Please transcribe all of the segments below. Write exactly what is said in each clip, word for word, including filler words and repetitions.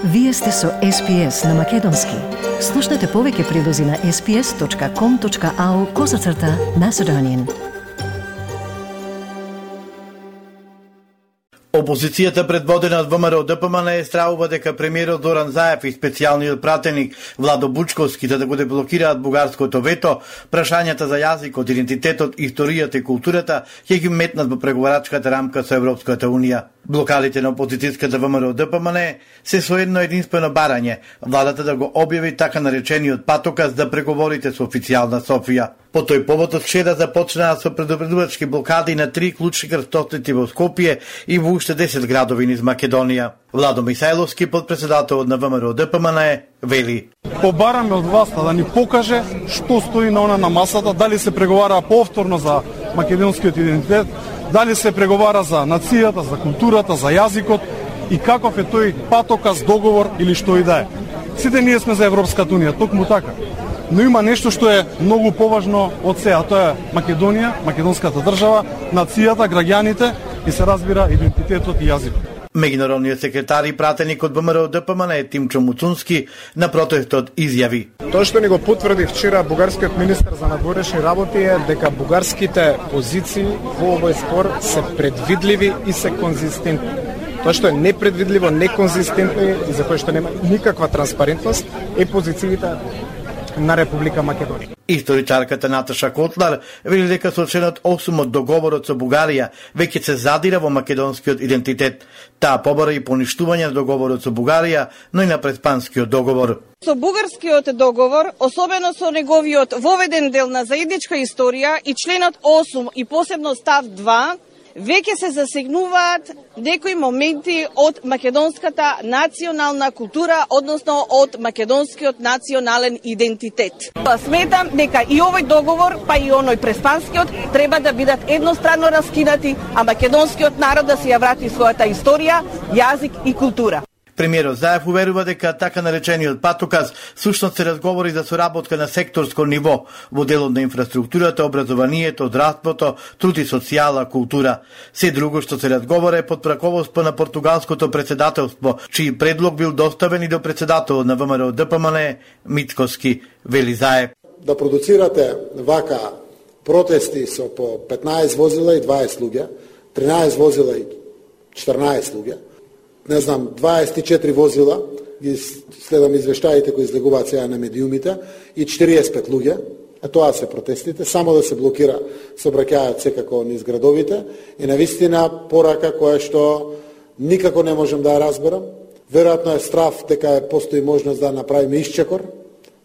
Вие сте со Ес Пи Ес на Македонски. Слушнете повеќе прилози на ес пи ес точка ком точка ау козацрта Macedonian. Опозицијата предводена од Вэ Ем Ар О Д П М Н стравува дека премиерот Зоран Заев и специјалниот пратеник Владо Бучковски да го деблокираат бугарското вето, прашањата за јазикот, идентитетот, историјата и културата ќе ги метнат во преговарачката рамка со Европската Унија. Блокадите на опозицијската Вэ Ем Ар О Д П М Н се со едно единствено барање, владата да го објави така наречениот патоказ да преговорите со официјална Софија. По тој повод од вчера започнаа со предупредувачки блокади на три клучни крстосници во Скопје и во уште десет градови низ Македонија. Владо Михајловски, подпредседател на Вэ Ем Ар О Д П М Н, вели: Побараме од власта да ни покаже што стои на она на масата, дали се преговара повторно за македонскиот идентитет, дали се преговара за нацијата, за културата, за јазикот и каков е тој патоказ, договор или што и да е. Сите ние сме за Европската Унија, токму така. Но има нешто што е многу поважно од се, а тоа е Македонија, македонската држава, нацијата, граѓаните и се разбира идентитетот и јазикот. Меѓународниот секретар и пратеник од Вэ Ем Ар О Д П М Н Тимчо Муцунски на протестот изјави: Тоа што ни го потврди вчера бугарскиот министер за надворешни работи е дека бугарските позиции во овој спор се предвидливи и се конзистентни. Тоа што е непредвидливо, неконзистентно и за кое што нема никаква транспарентност е позициите на Република Македонија. Историчарката Наташа Котлар вели дека со членот осум од договорот со Бугарија веќе се задира во македонскиот идентитет. Таа побара и поништување на договорот со Бугарија, но и на Преспанскиот договор. Со бугарскиот договор, особено со неговиот воведен дел на заедничка историја и членот осум и посебно став два, веќе се засегнуваат некои моменти од македонската национална култура, односно од македонскиот национален идентитет. Сметам дека и овој договор, па и оној преспанскиот, треба да бидат едностранно раскинати, а македонскиот народ да се ја врати својата историја, јазик и култура. Премиерот Заев уверува дека така наречениот патоказ сушност се разговори за соработка на секторско ниво во делот на инфраструктурата, образованието, здравството, труд и социјала, култура. Се друго што се разговара е под раководство на португалското председателство, чиј предлог бил доставен и до председателот на Вэ Ем Ар О Д П М Н Мицкоски, вели Заев. Да продуцирате вака протести со по петнаесет возила и дваесет луѓе, тринаесет возила и четрнаесет луѓе, не знам, дваесет и четири возила, ги следам извештаите кои излегуваат сега на медиумите, и четириесет и пет луѓе, а тоа се протестите, само да се блокира сообраќајот секако низ градовите, и навистина порака која што никако не можем да ја разберам. Веројатно е страв дека постои можност да направиме исчекор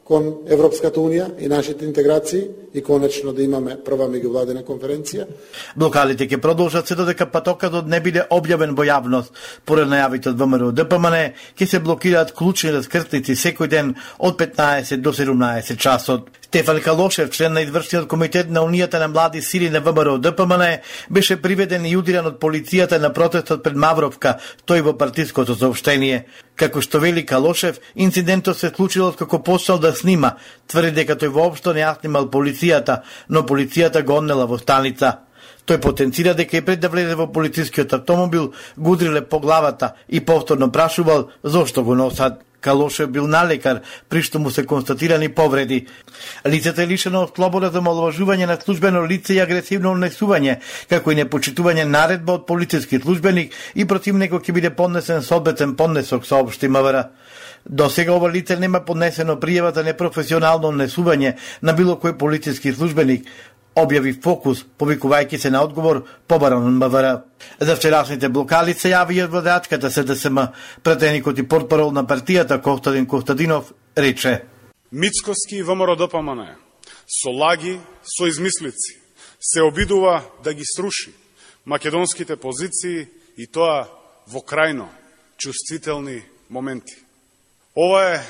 кон Европската Унија и нашите интеграции и конечно да имаме прва меѓувладина конференција. Блокадите ќе продолжат се додека патоказот не биде објавен во јавност. Поред најавите од Вэ Ем Ар О Д П М Н ќе се блокираат клучни раскртници секој ден од петнаесет до седумнаесет часот. Стефан Калошев, член на извршниот комитет на Унијата на млади сили на Вэ Ем Ар О Д П М Н, беше приведен и удиран од полицијата на протестот пред Мавровка, тој во партиското соопштение. Како што вели Калошев, инцидентот се случил како почнал да снима, тврди дека тој воопшто не ја снимал полицијата, но полицијата го однела во станица. Тој потенцира дека и пред да влезе во полицискиот автомобил, го удриле по главата и повторно прашувал зошто го носат. Калошев бил налекар, при што му се констатирани повреди. Лицето е лишено од слобода за омаловажување на службено лице и агресивно однесување, како и непочитување наредба од полициски службеник и против него ќе биде поднесен соодветен поднесок, соопшти М В Р. До сега ова лице нема поднесено пријава за непрофесионално однесување на било кој полициски службеник, објави Фокус, повикувајќи се на одговор побаран од М В Р. За вчерашните блокади се јави и водачката С Д С М. Пратеникот и портпарол на партијата Костадин Костадинов рече: Мицкоски и Вэ Ем Ар О Д П М Н со лаги, со измислици се обидува да ги сруши македонските позиции и тоа во крајно чувствителни моменти. Ова е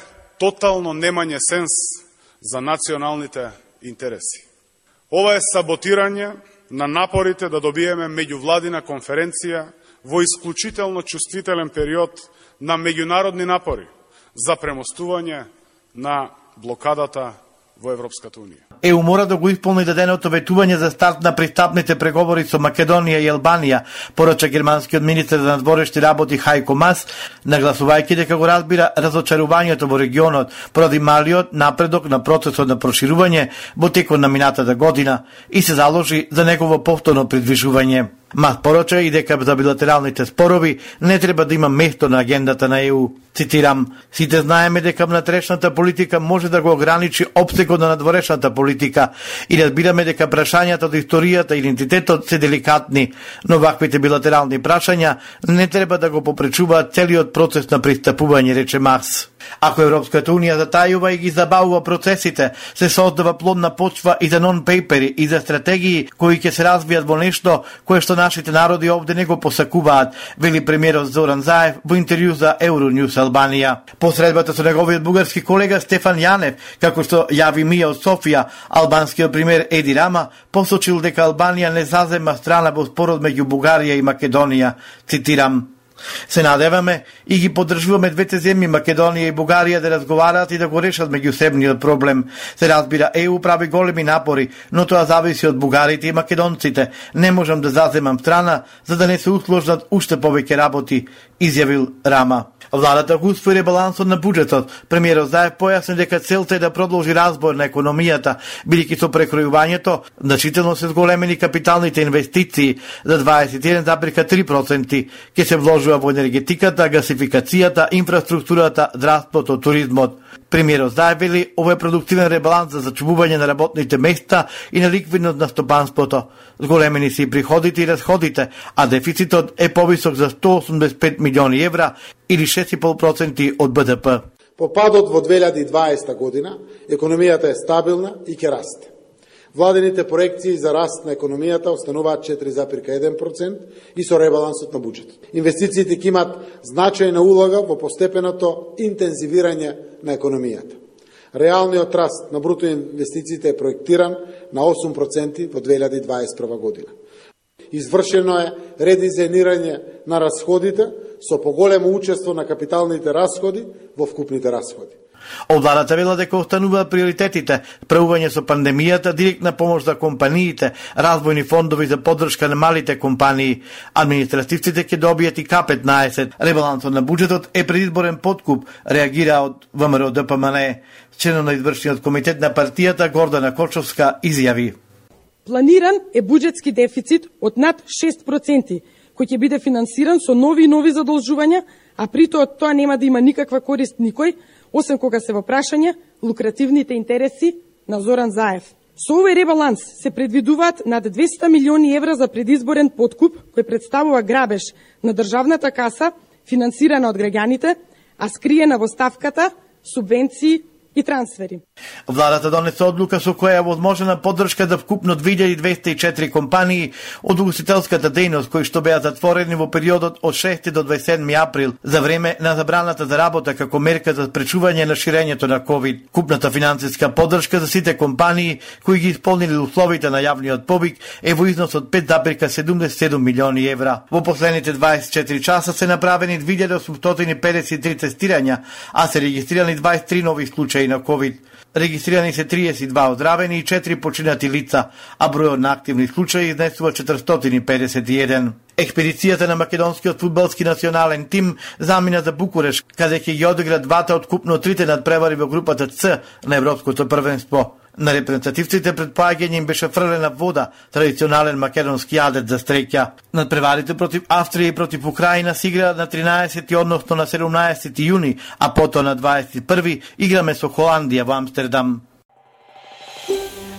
тотално немање сенс за националните интереси. Ова е саботирање на напорите да добиеме меѓувладина конференција во исклучително чувствителен период на меѓународни напори за премостување на блокадата во Европската Унија. ЕУ мора да го исполни даденото ветување за старт на пристапните преговори со Македонија и Албанија, порача германскиот министер за надворешни работи Хајко Мас, нагласувајќи дека го разбира разочарувањето во регионот поради малиот напредок на процесот на проширување во текот на минатата година и се заложи за негово повторно придвижување. Мас порача и дека за билатералните спорови не треба да има место на агендата на ЕУ. Цитирам: "Сите знаеме дека внатрешната политика може да го ограничи опсегот на надворешната политика и разбираме дека прашањата од историјата и идентитетот се деликатни, но ваквите билатерални прашања не треба да го попречуваат целиот процес на пристапување", рече Мас. Ако Европската Унија затајува и ги забавува процесите, се создава плодна почва и за нон-пейпери и за стратегии кои ќе се развијат во нешто кое што нашите народи овде не го посакуваат, вели премиерот Зоран Заев во интервју за Euronews Албанија. По средбата со неговиот бугарски колега Стефан Јанев, како што јави МИА од Софија, албанскиот премиер Еди Рама посочил дека Албанија не зазема страна во спорот меѓу Бугарија и Македонија. Цитирам: "Се надеваме и ги поддржуваме двете земји Македонија и Бугарија да разговараат и да го решат меѓусебниот проблем. Се разбира, ЕУ прави големи напори, но тоа зависи од бугарите и македонците. Не можам да заземам страна за да не се усложнат уште повеќе работи", изјавил Рама. Владата го усвои ребалансот на буџетот. Премиерот Заев појасни дека целта е да продолжи разбор на економијата, бидејќи со прекројувањето значително се зголемени капиталните инвестиции за дваесет и еден зарез три проценти, ќе се вложува во енергетиката, гасификацијата, инфраструктурата, здравството, туризмот. Премиерот Заев вели ова е продуктивен ребаланс за зачувување на работните места и на ликвидност на стопанството. Зголемени се и приходите и расходите, а дефицитот е повисок за сто осумдесет и пет милиони евра или шест и пет проценти од Б Д П. По падот во две илјади и дваесета година, економијата е стабилна и ќе расте. Владените проекции за раст на економијата остануваат четири зарез еден процент и со ребалансот на буџетот. Инвестициите ќе имат значајна улога во постепеното интензивирање на економијата. Реалниот раст на бруто инвестициите е проектиран на осум проценти во две илјади и дваесет и прва година. Извршено е редизајнирање на расходите со поголемо учество на капиталните расходи во вкупните расходи. Од владата вела дека остануваат приоритетите: справување со пандемијата, директна помош за компаниите, развојни фондови за поддршка на малите компании. Административците ќе добијат и К петнаесет. Ребалансот на буџетот е предизборен подкуп, реагира од ВМРО Д П М Н. Членот на извршниот комитет на партијата Гордана Кочовска изјави: "Планиран е буџетски дефицит од над шест проценти, кој ќе биде финансиран со нови и нови задолжувања, а при тоа тоа нема да има никаква корист никој, освен кога се во прашање лукративните интереси на Зоран Заев. Со овој ребаланс се предвидуваат над двесте милиони евра за предизборен подкуп, кој представува грабеж на државната каса, финансирана од граѓаните, а скриена во ставката субвенции и трансфери." Владата донесе одлука со која е возможна поддршка за вкупно две илјади двесте и четири компании од угостителската дејност кои што беа затворени во периодот од шести до дваесет и седми април за време на забраната за работа како мерка за спречување на ширењето на ковид. Купната финансиска поддршка за сите компании кои ги исполнили условите на јавниот повик е во износ од пет зарез седумдесет и седум милиони евра. Во последните дваесет и четири часа се направени две илјади осумстотини и педесет и три тестирања, а се регистрирани дваесет и три нови случаи на ковид. Регистрирани се триесет и два оздравени и четири починати лица, а бројот на активни случаи изнесува четиристотини и педесет и еден. Експедицијата на македонскиот фудбалски национален тим замина за Букуреш, каде ќе ги одигра двата од купно трите надпревари во групата Ц на Европското првенство. На репрезентативците пред поаѓање им беше фрлена вода, традиционален македонски јадец за стреќа. Надпреварите против Австрија и против Украина се играат на тринаесети, односно на седумнаесети јуни, а потоа на дваесет и први играме со Холандија во Амстердам.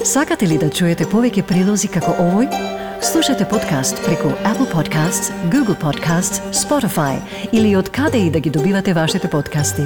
Сакате ли да чуете повеќе прилози како овој? Слушате подкаст преку Apple Podcasts, Google Podcasts, Spotify или од каде и да ги добивате вашите подкасти.